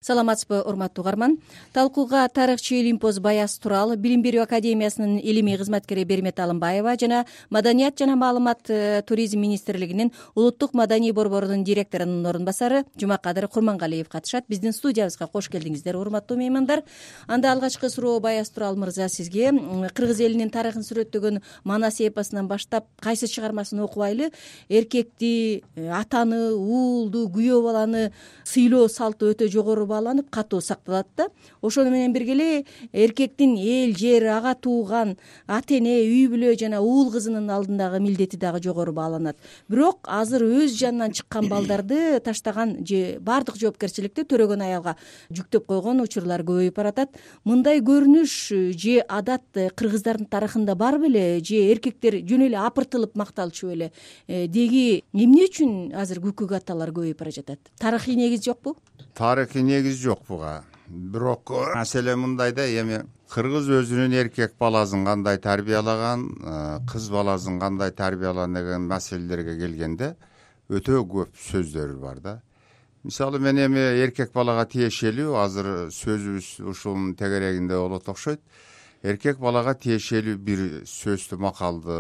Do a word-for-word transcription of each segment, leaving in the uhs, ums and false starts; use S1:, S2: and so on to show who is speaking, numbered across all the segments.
S1: Саламатсызбы, урматтуу угарман. Талкууга тарыхчы Илимпоз Баяз Турал, Билим берүү академиясынын илимий кызматкери Бермет Алымбаева жана Маданият жана маалымат туризм министрлигинин улуттук маданий борборунун директорунун орун басары Жумакадыр Курмангалиев катышат. Биздин студиябызга кош келдиңиздер, урматтуу меймандар. Анда алгачкы суроо Баяз Турал мырза сизге. Кыргыз элинин тарыхын сүрөттөгөн Манас эпосунан баштап кайсы чыгармасын окубайлы эркекти, атаны, уулду, күйөө баланы сыйлоо салты өтө жогору бааланып катуу сакталат да. Ошону менен бирге эле эркектин эл, жер, ага тууган, ата эне, үй бүлө жана уул кызынын алдындагы милдети дагы жогору бааланат. Бирок азыр өз жанынан чыккан балдарды таштаган же баардык жоопкерчиликти төрөгөн аялга жүктөп койгон учурлар көбөйүп баратат. Мындай көрүнүш же адат кыргыздардын тарыхында бар беле, же эркектер жөн эле апыртылып макталчу беле? Деги эмне үчүн азыр күкүк аталар көбөйүп бара жатат? Тарыхый негиз жокпу?
S2: Тарыхый негиз жок буга. Бирок маселе мындай да, эми кыргыз өзүнүн эркек баласын кандай тарбиялаган, кыз баласын кандай тарбиялаган деген маселелерге келгенде өтө көп сөздөр бар да. Мисалы мен эми эркек балага тиешелүү, азыр сөзүбүз ушунун тегерегинде болот окшойт. Эркек балага тиешелүү бир сөздү, макалды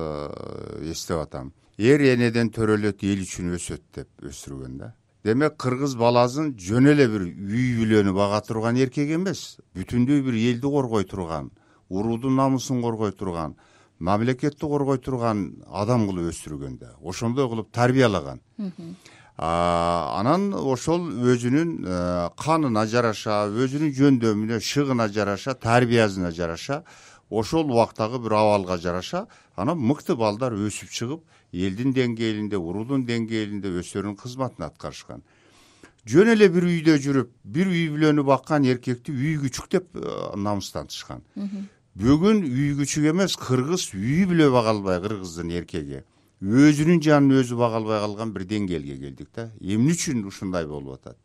S2: эстеп атам. Эр энеден төрөлөт, эл үчүн өсөт деп өстүргөн да. Демек кыргыз баласын жөн эле бир үй бүлөнү бага турган эркек эмес, бүтүндөй бир элди коргой турган, уруудун намысын коргой турган, мамлекетти коргой турган адам кылып өстүргөн да. Ошондой кылып тарбиялаган. Анан ошол өзүнүн канына жараша, өзүнүн жөндөмүнө, шыгына жараша, тарбиясына жараша, ошол убактагы бир абалга жараша, анан мыкты балдар өсүп чыгып, элдин деңгээлинде, уруудун деңгээлинде өздөрүнүн кызматын аткарышкан. Жөн эле бир үйдө жүрүп, бир үй бүлөнү баккан эркекти үй күчүк деп намыстантышкан. Бүгүн үй күчүк эмес, кыргыз үй бүлө бага албай, кыргыздын эркеги өзүнүн жанын өзү бага албай калган бир деңгээлге келдик да. Эмне үчүн ушундай болуп атат?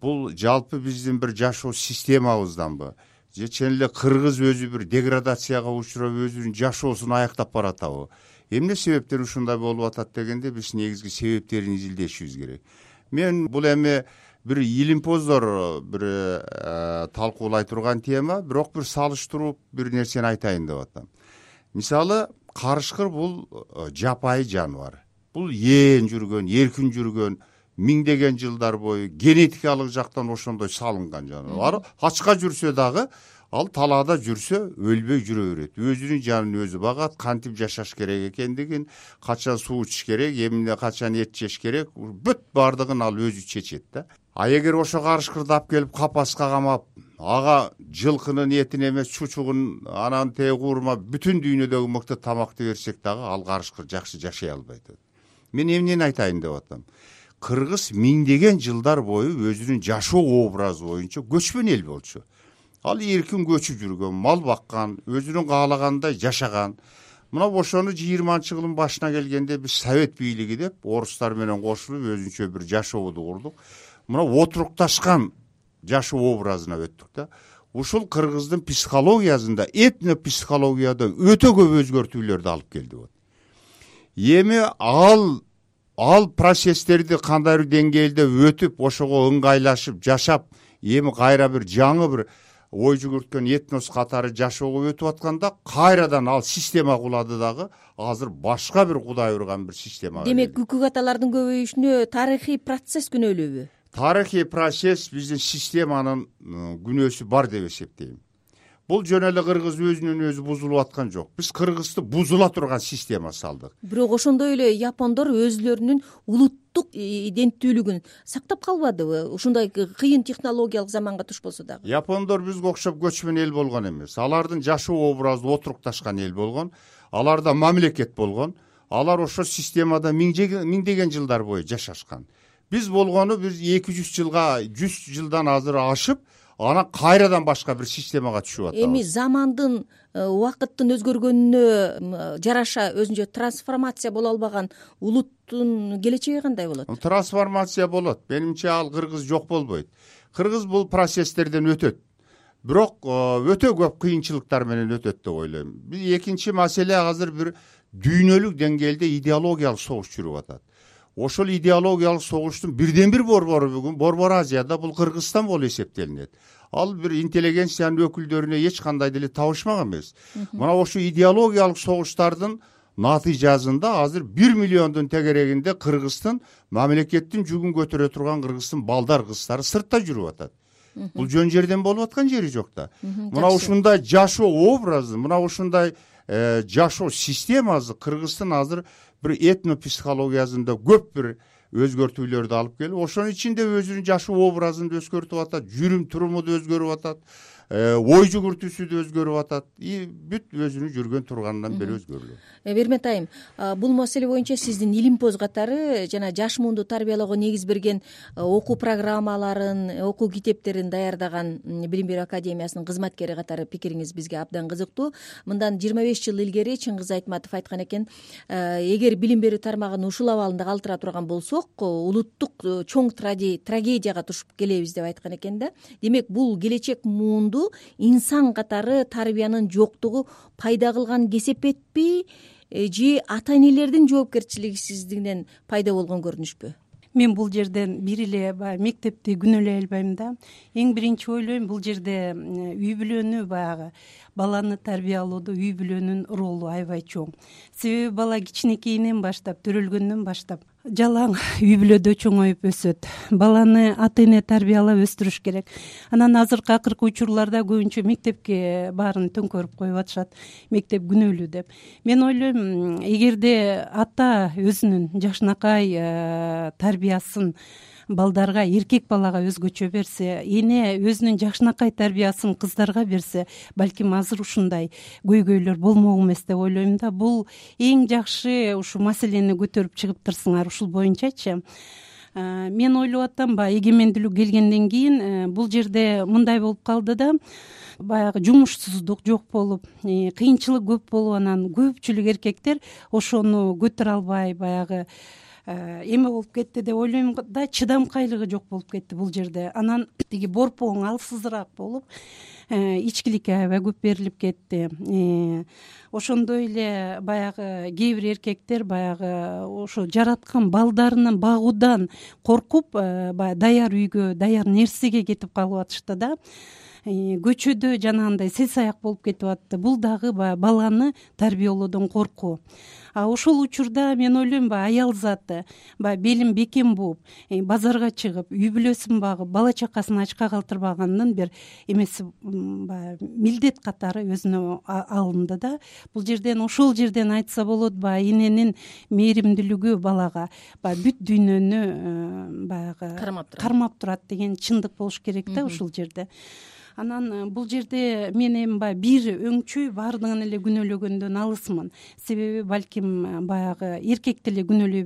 S2: Бул жалпы биздин бир жашоо системабызданбы? Же чын эле кыргыз өзү бир деградацияга учурап, өзүнүн жашоосун аяктап баратабы? Эмне себептер ушундай болуп атат дегенде биз негизги себептерин изилдешибиз керек. Мен бул эми бир илимпоздор бир талкуулай турган тема, бирок бир салыштырып бир нерсени айтайын деп атам. Мисалы, карышкыр бул жапайы жаныбар. Бул ээн жүргөн, эркин жүргөн, миңдеген жылдар бою генетикалык жактан ошондой салынган жаныбар. Ачка жүрсө дагы, ал талаада жүрсө өлбөй жүрө берет. Өзүнүн жанын өзү багат, кантип жашаш керек экендигин, качан суу ичиш керек, эмне качан эт жеш керек, бүт бардыгын ал өзү чечет да. А эгер ошо карышкырды алып келип капаска камап, ага жылкынын этин эмес, чучугун, анан тегурма, бүтүн дүйнөдөгү мыкты тамакты берсек дагы, ал карышкыр жакшы жашай албайт. Мен эмнени айтайын деп атам? Кыргыз миңдеген жылдар бою өзүнүн жашоо образы боюнча көчмөн эл болчу. Ал эркин көчүп жүргөн, мал баккан, өзүнүн каалагандай жашаган. Мына ошону жыйырманчы жылдын башына келгенде биз совет бийлиги деп орустар менен кошулуп өзүнчө бир жашообу курдук. Мына отурукташкан жашоо образына өттүк да. Ушул кыргыздын психологиясында, этнопсихологияда өтө көп өзгөртүүлөрдү алып келди. Эми ал ал процесстерди кандай деңгээлде өтүп, ошого ыңгайлашып, жашап, эми кайра бир жаңы бир ой жүгүрткөн этнос катары жашоого өтүп атканда, кайрадан ал система кулады дагы, азыр башка бир кудай урган бир система.
S1: Демек, күкүк аталардын көбөйүшүнө тарыхый процесс күнөөлүүбү?
S2: Тарыхый процесс биздин системанын күнөөсү бар деп эсептейм. Бул жөн эле кыргыз өзүнүн өзү бузулуп аткан жок. Биз кыргызды бузула турган система салдык.
S1: Бирок ошондой эле япондор өзүлөрүнүн улуттук иденттүүлүгүн сактап калбадыбы? Ушундай кыйын технологиялык заманга туш болсо дагы.
S2: Япондор бизге окшоп көчмөн эл болгон эмес. Алардын жашоо образы отурукташкан эл болгон. Аларда мамлекет болгон. Алар ошо системада миңдеген жылдар бою жашашкан. Биз болгону биз эки жүз жылга, жүз жылдан азыр ашып, анан кайрадан башка бир системага түшүп атабыз.
S1: Эми замандын, убакыттын өзгөргөнүнө жараша өзүнчө трансформация боло албаган улуттун келечеги кандай болот?
S2: Трансформация болот. Менимче ал кыргыз жок болбойт. Кыргыз бул процесстерден өтөт. Бирок өтө көп кыйынчылыктар менен өтөт деп ойлойм. Биз экинчи маселе азыр бир дүйнөлүк деңгээлде идеологиялык согуш жүрүп атат. ошол идеологиялык согуштун бирден бир борбору бүгүн Борбор Азияда бул Кыргызстан болуп эсептелинет. Ал бир интеллигенциянын өкүлдөрүнө эч кандай деле табышмак эмес. Мына ошо идеологиялык согуштардын натыйжасында азыр бир миллиондун тегерегинде Кыргыздын мамлекеттин жүгүн көтөрө турган Кыргыздын балдар кыздары сыртта жүрүп атат. Бул жөн жерден болуп аткан жери жок да. Мына ушундай жашоо образы, мына ушундай жашоо системасы Кыргыздын азыр бир этнопсихологиясында көп бир өзгөртүүлөрдү алып келип, ошонун ичинде өзүнүн жашоо образын да өзгөртүп атат, жүрүм туруму да өзгөрүп атат, ой жүгүртүүсү да өзгөрүп атат, и бүт өзүнүн жүргөн турганынан бери өзгөрүлөт.
S1: Бермет айым, бул маселе боюнча сиздин илимпоз катары жана жаш муунду тарбиялоого негиз берген окуу программаларын, окуу китептерин даярдаган Билим берүү академиясынын кызматкери катары пикириңиз бизге абдан кызыктуу. Мындан жыйырма беш жыл илгери Чыңгыз Айтматов айткан экен, эгер билим берүү тармагын ушул абалында калтыра турган болсок, улуттук чоң трагедияга тушуп келебиз деп айткан экен да. Демек, бул келечек муунду инсан катары тарбиянын жоктугу пайда кылган кесепетпи же ата энелердин жоопкерчилигисиздигинен пайда болгон көрүнүшпү?
S3: Мен бул жерден бир эле баягы мектепти күнөөлөй албайм да. Эң биринчи ойлойм, бул жерде үй бүлөнү баягы баланы тарбиялоодо үй бүлөнүн ролу аябай чоң. Себеби бала кичинекейинен баштап, төрөлгөндөн баштап жалаң үй бүлөдө чоңоюп өсөт. Баланы ата эне тарбиялап өстүрүш керек. Анан азыркы акыркы учурларда көбүнчө мектепке баарын төңкөрүп коюп атышат, мектеп күнөөлүү деп. Мен ойлойм, эгерде ата өзүнүн жакшынакай тарбиясын балдарга, эркек балага өзгөчө берсе, эне өзүнүн жакшынакай тарбиясын кыздарга берсе, балким азыр ушундай көйгөйлөр болмок эмес деп ойлойм да. Бул эң жакшы ушул маселени көтөрүп чыгыптырсыңар ушул боюнчачы. Мен ойлоп атам, баягы эгемендүүлүк келгенден кийин бул жерде мындай болуп калды да, баягы жумушсуздук жок болуп, кыйынчылык көп болуп, анан көпчүлүк эркектер ошону көтөрө албай баягы эме болуп кетти деп ойлойм да, чыдамкайлыгы жок болуп кетти бул жерде. Анан тиги борпоң алсызыраак болуп, ичкиликке аябай көп берилип кетти. Ошондой эле баягы кээ бир эркектер баягы ошо жараткан балдарынын багуудан коркуп, баягы даяр үйгө, даяр нерсеге кетип калып атышты да. Көчөдө жанагындай сел-саяк болуп кетип атты. Бул дагы баягы баланы тарбиялоодон коркуу. А ошол учурда мен ойлойм, баягы аял заты баягы белин бекем бууп, базарга чыгып, үй бүлөсүн багып, бала чакасын ачка калтырбаганын бир эмеси баягы милдет катары өзүнө алынды да. Бул жерден, ошол жерден айтса болот, баягы эненин мээримдүүлүгү балага баягы бүт дүйнөнү баягы кармап турат деген чындык болуш керек да ушул жерде. Анан бул жерде мен эми баягы бир өңчөй баардыгын эле күнөөлөгөндөн алысмын. Себеби балким баягы эркекти эле күнөөлөй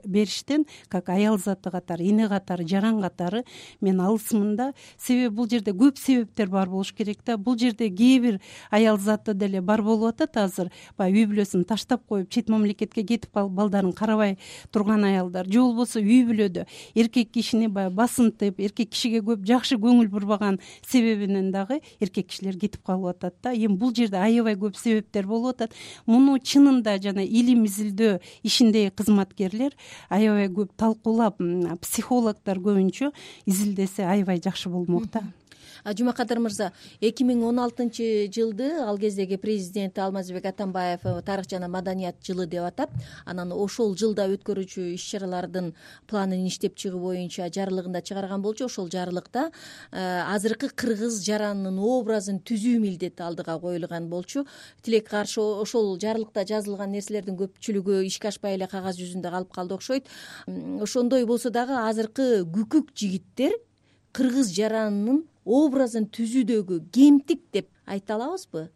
S3: бериштен, как аял заты катары, эне катары, жаран катары мен алысмын да. Себеби бул жерде көп себептер бар болуш керек да. Бул жерде кээ бир аял заты деле бар болуп атат азыр. Баягы үй бүлөсүн таштап коюп, чет мамлекетке кетип калып, балдарын карабай турган аялдар. Же болбосо үй бүлөдө эркек кишини баягы басынтып, эркек кишиге көп жакшы көңүл бурбаган себеби дагы эркек кишилер кетип калып атат да. Эми бул жерде аябай көп себептер болуп атат. Муну чынында жана илим изилдөө ишиндеги кызматкерлер аябай көп талкуулап, психологдор көбүнчө изилдесе аябай жакшы болмок да.
S1: Жумакадыр мырза, эки миң он алтынчы жылды ал кездеги президент Алмазбек Атамбаев тарых жана маданият жылы деп атап, анан ошол жылда өткөрүүчү иш-чаралардын планын иштеп чыгуу боюнча жарлыгында чыгарган болчу. Ошол жарлыкта азыркы кыргыз жаранынын образын түзүү милдети алдыга коюлган болчу. Тилек каршы ошол жарлыкта жазылган нерселердин көпчүлүгү ишке ашпай эле кагаз жүзүндө калып калды окшойт. Ошондой болсо дагы азыркы күкүк жигиттер кыргыз жаранынын образын түзүүдөгү кемтик деп айта алабызбы?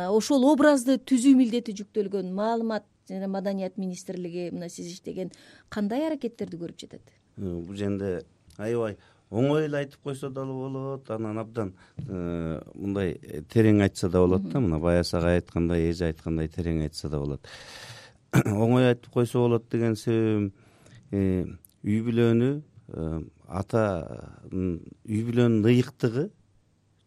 S1: Ошол образды түзүү милдети жүктөлгөн маалымат жана маданият министрлиги мына сиз иштеген кандай аракеттерди көрүп жатат?
S4: Бул жерде аябай оңой эле айтып койсо дагы болот, анан абдан мындай терең айтса да болот да. Мына баясага айткандай, эже айткандай терең айтса да болот. Оңой айтып койсо болот деген себебим, үй бүлөнү атанын үй бүлөнүн ыйыктыгы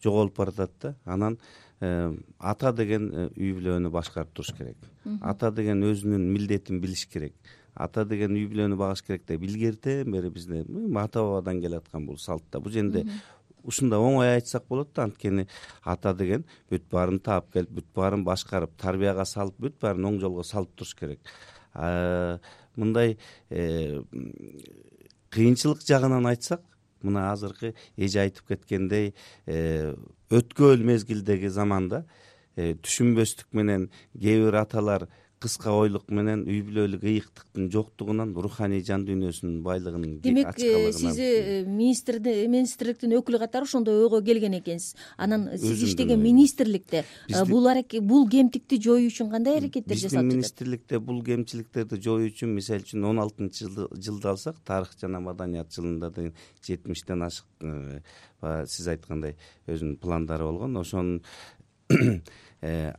S4: жоголуп баратат да. Анан ата деген үй бүлөнү башкарып туруш керек. Ата деген өзүнүн милдетин билиш керек. ата деген үй бүлөнү багыш керек деп илгертен бери бизде ата бабадан келаткан бул салт да. Бул жерде ушундай оңой айтсак болот да, анткени ата деген бүт баарын таап келип, бүт баарын башкарып, тарбияга салып, бүт баарын оң жолго салып туруш керек. Мындай кыйынчылык жагынан айтсак, мына азыркы эже айтып кеткендей, өткөн мезгилдеги заманда түшүнбөстүк менен кээ бир аталар кыска ойлук менен үй бүлөлүк ыйыктыктын жоктугунан руханий жан дүйнөсүнүн байлыгынын
S1: демек сиз министрликтин өкүлү катары ошондой ойго келген экенсиз. Анан сиз иштеген министрликте бул бул кемтикти жоюу үчүн кандай аракеттер жасалып жатат?
S4: Биздин министрликте бул кемчиликтерди жоюу үчүн, мисалы үчүн он алтынчы жылды алсак, тарых жана маданият жылында деген жетимиштен ашык сиз айткандай өзүнүн пландары болгон. Ошонун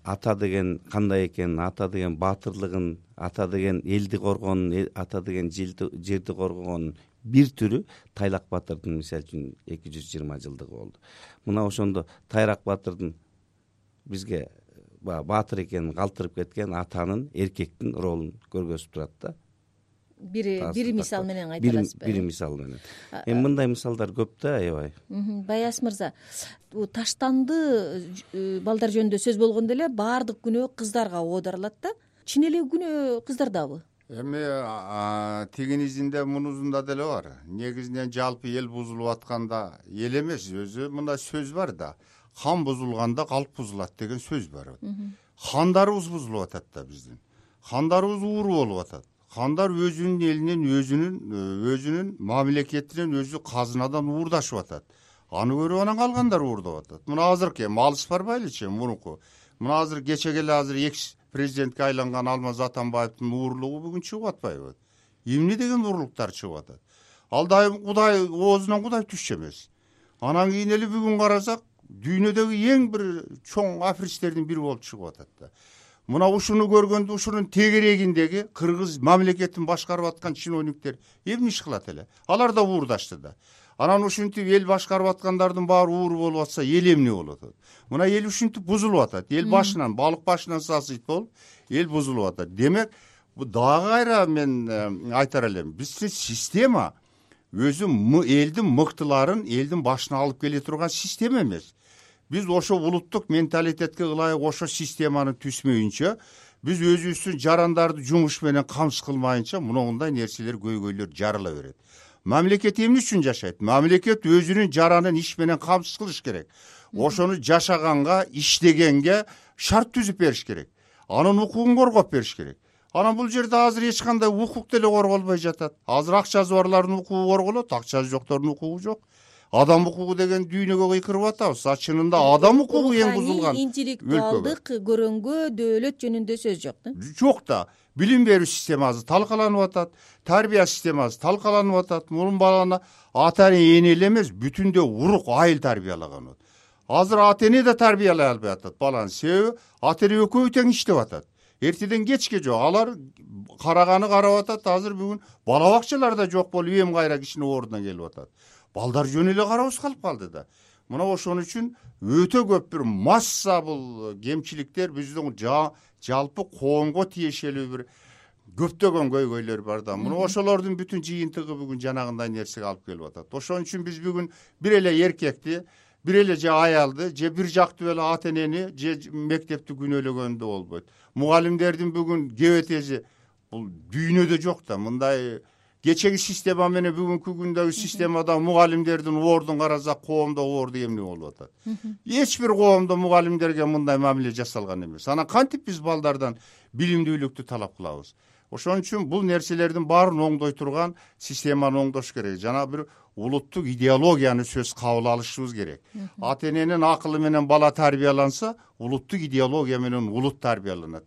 S4: ата деген кандай экенин, ата деген баатырлыгын, ата деген элди коргоонун, ата деген жерди коргогонун бир түрү Тайлак баатырдын мисалы үчүн эки жүз жыйырма жылдыгы болду. Мына ошондо Тайрак баатырдын бизге баатыр экенин калтырып кеткен атанын, эркектин ролун көргөзүп турат да.
S1: Бир бир мисал менен айта аласызбы?
S4: Бир мисал менен. Эми мындай мисалдар көп да, аябай.
S1: Баяс мырза, таштанды балдар жөнүндө сөз болгондо эле баардык күнөө кыздарга оодарылат да. Чын эле күнөө кыздардабы?
S2: Эми тигинизинде мунусунда деле бар. Негизинен жалпы эл бузулуп атканда эл эмес, өзү мындай сөз бар да. Хан бузулганда калп бузулат деген сөз бар. Хандарыбыз бузулуп атат да биздин. Хандарыбыз ууру болуп атат. Хандар өзүнүн элинен, өзүнүн өзүнүн мамлекетинен, өзү казынадан уурдашып атат. Аны көрүп анан калгандар уурдап атат. Мына азыркы эми алыс барбайлычы, мурунку. Мына азыр кечеге эле азыр экс президентке айланган Алмаз Атамбаевдин уурлугу бүгүн чыгып атпайбы? Эмне деген уурлуктар чыгып атат? Ал дайым Кудай оозунан Кудай түшчү эмес. Анан кийин эле бүгүн карасак, дүйнөдөгү эң бир чоң аферисттердин бири болуп чыгып атат да. Мына ушуну көргөндө ушунун тегерегиндеги кыргыз мамлекетин башкарып аткан чиновниктер эмне иш кылат эле? Алар да уурдашты да. Анан ушинтип эл башкарып аткандардын баары ууру болуп атса, эл эмне болот? Мына эл ушинтип бузулуп атат. Эл башынан, балык башынан сасыйт болуп, эл бузулуп атат. Демек, бу дагы кайра мен айтар элем. Биздин система өзү элдин мыктыларын элдин башына алып келе турган система эмес. Биз ошо улуттук менталитетке ылайык ошо системаны түзмөйүнчө, биз өзүбүздүн жарандарды жумуш менен камсыз кылмайынча, мындай нерселер көйгөйлөр жарыла берет. Мамлекет эмне үчүн жашайт? Мамлекет өзүнүн жаранын иш менен камсыз кылыш керек. Ошону жашаганга, иштегенге шарт түзүп бериш керек. Анын укугун коргоп бериш керек. Анан бул жерде азыр эч кандай укук деле корголбой жатат. Азыр акчасы барлардын укугу корголот, акчасы жоктордун укугу жок. Адам укугу деген дүйнөгө кыйкырып атабыз. А чынында адам укугу эң бузулган.
S1: Интеллектуалдык көрөнгө, дөөлөт жөнүндө сөз жок да?
S2: Жок да. Билим берүү системасы талкаланып атат, тарбия системасы талкаланып атат. Мурун баланы ата-эне эле эмес, бүтүндөй урук айыл тарбиялаган. Азыр ата-эне да тарбиялай албай атат баланы. Себеби ата-эне экөө тең иштеп атат. Эртеден кечке жок. Алар караганы карап атат. Азыр бүгүн бала бакчалар да жок болуп, эм кайра кичине ордуна келип атат. Балдар жөн эле карабыз калып калды да. Мына ошон үчүн өтө көп бир масса бул кемчиликтер биздин жалпы коомго тиешелүү бир көптөгөн көйгөйлөр бар да. Мына ошолордун бүтүн жыйынтыгы бүгүн жанагындай нерсеге алып келип атат. Ошон үчүн биз бүгүн бир эле эркекти, бир эле же аялды, же бир жактуу эле ата-энени, же мектепти күнөөлөгөндө болбойт. Мугалимдердин бүгүн кебетези бул дүйнөдө жок да. Мындай кечеги система менен бүгүнкү күндөгү системада мугалимдердин ордун карасак, коомдо орду эмне болуп атат? Эч бир коомдо мугалимдерге мындай мамиле жасалган эмес. Анан кантип биз балдардан билимдүүлүктү талап кылабыз? Ошон үчүн бул нерселердин баарын оңдой турган системаны оңдош керек. Жана бир улуттук идеологияны сөз кабыл алышыбыз керек. Ата-эненин акылы менен бала тарбияланса, улуттук идеология менен улут тарбияланат.